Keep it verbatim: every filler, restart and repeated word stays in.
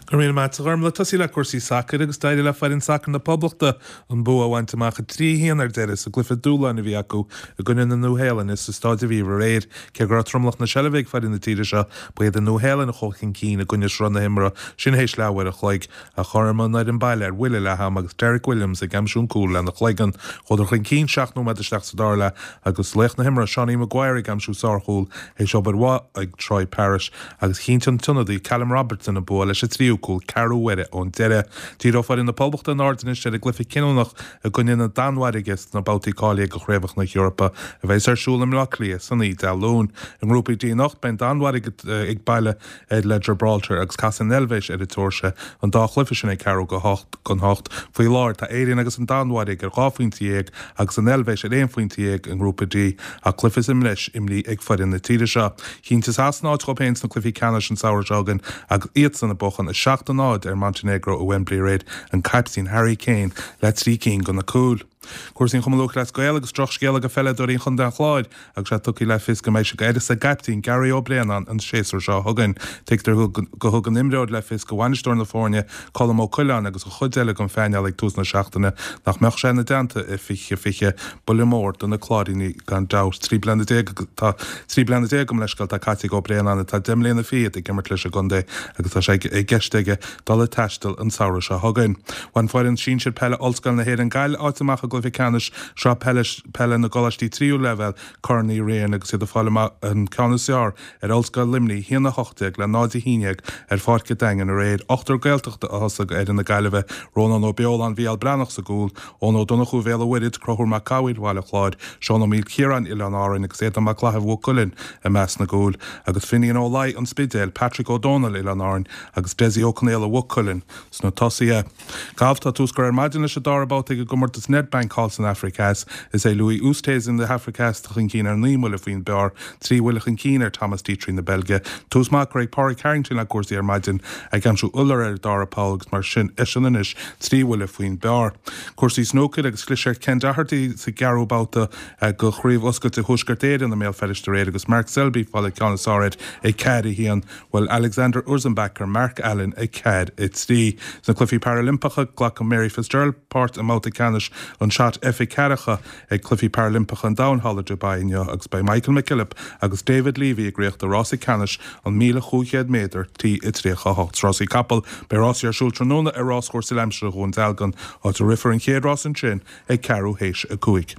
Go raibh míle maith agat a Ghormlaith. Tosaí le cúrsaí sacair agus d'éirigh le foireann sacair na Poblachta an bua a bhaint amach a trí a haon ar deireadh sa gcluiche dúshláin a bhí acu i gcoinne na Nua-Shéalainne sa Staid Aviva aréir. Cé go raibh tromlach na seilbhe ag foireann na tíre seo, ba iad an Nua-Shéalainn a chuaigh chun cinn i gcoinne sruth na himeartha sin théis leathuair a chloig ach chothromaigh an fhoireann baile ar bhuille leath ama agus Derek Williams ag aimsiú an cúl lena chloigeann. Chuadar chun cinn seacht nóiméad isteach sa dara leath agus laoch na himeartha Seanie Maguire ag aimsiú sárchúl théis obair mhaith ag Troy Parrott agus chinntigh an t-ionadaí Callum Robertson an bua leis an tríú cúl ceathrú uaire ón deireadh. Díreoidh foireann na Poblachta a n-aird anois ar an gcluiche cinniúnach i gcoinne na Danmhairge sna babhtaí cáilithe do Chraobhacha na hEorpa a bheas ar siúl i mBleá Cliath san Oíche Dé Luain. I nGrúpa D anocht beidh an Danmhairg ag baile le Gibraltar agus casfaidh an Eilvéis ar an tSeoirsia an dá chluiche sin ag ceathrú go hocht don hocht. Faoi láthair tá Éirinn agus an Danmhairg ar dhá phointe dhéag agus an Eilvéis ar aon phointe dhéag i nGrúpa D ach cluiche sa mbreis imrithe ag foireann na tíre seo. Chinntigh Sasana áit dhóibh féin sna cluichí ceannais an samhradh seo chugainn agus iadsan ag buachan a seacht a náid ar Montenegro i Wembley aréir, an caiptín Harry Kane le trí cinn de na cúil. Cúrsaí an Chumann Lúthchleas Gael agus drochscéala do pheileadóirí Chontae an Chláir agus é tugtha le fios go mbeidh sé d'uireasa a gcaiptín Gary Ó Braonáin an séasúr seo chugainn. Tuigtear go thug an imreoir le fios do bhainisteoir na foirne Colm Ó Coileáin agus an chuid eile den phainéal ag tús na seachtaine nach mbeadh sé ina dteannta i fiche fiche. Buille mór do na Cláirínigh gan dabht. Trí bliana déag tá trí bliana déag gabh mo leithscéal atá caite ag Ó Braonáin atá deich mbliana fichead ag imirt leis an gcontae agus tá sé i gceist aige dul ag taisteal an samhradh seo chugainn. Bhain foireann sinsir peile Ollscoil na hÉireann Gaillimh áit amach i gcluiche ceannais Sraith Peile Peile na gColáistí Tríú Leibhéal, Corn Uí Riain, agus iad ag fáil amach an ceann is fearr ar Ollscoil Luimnigh, a haon a hocht déag le náid a haon déag ar Pháirc an Daingin aréir. Ochtar Gaeltachta a thosaigh d'fhoireann na Gaillimhe, Rónán Ó Beoláin, Mhicheál Breathnach sa gcúl, Eoin Ó Donnchú Bhéal an Mhuirthead, Conchúr Mac Cathmhaoil Bhaile Chláir, Seán Ó Maoilchiaráin, Oileáin Árainn agus Aodán Mac Claithimh Mhaigh Cuilinn i measc na gcúl, agus Finian Ó Laoi, An Spidéal, Patrick Ó Dónaill, Oileáin Árainn, agus Dessie Ó Conaola Mhaigh Cuilinn sna tosaithe. Galf Tá tús curtha ar maidin leis an dara babhta ag an gcomórtas Nedbank thall san Afraic Theas. Is é Louis Oosthuizen na hAfraice Theas atá chun cinn ar naoi mbuille faoin bpar, trí bhuille chun cinn ar Thomas Detry na Beilge. Tús maith curtha ag Pádraig Harrington le cúrsaí ar maidin, ag aimsiú iolar ar an dara poll agus mar sin eisean anois trí bhuille faoin bpar. Cúrsaí snúcair agus chlis ar Ken Doherty sa gceathrú babhta de Chraobh Oscailte Thuaisceart Éireann i mBéal Feirste aréir agus Mark Selby ag fáil an ceann is fearr air ag ceathair a haon. Bhuail Alexander Ursenbach ar Mark Allen ag ceathair a trí. Sna Cluichí Parailimpeacha, glacfaidh Mary Fitzgerald páirt i mbabhta ceannais an Shot F ceathracha ag Cluichí Parailimpeacha an Domhain thall i Dubai inniu agus beidh Michael McKillop agus David Levy ag rith do rása ceannais an míle chúig chéad méadar T tríocha a hocht. Rásaí capall, Beidh rásaí ar siúl tráthnóna ar Ráschúrsa Aimsire Dhún Dealgan, áit a rithfear an chéad rás ansin ag ceathrú théis a cúig.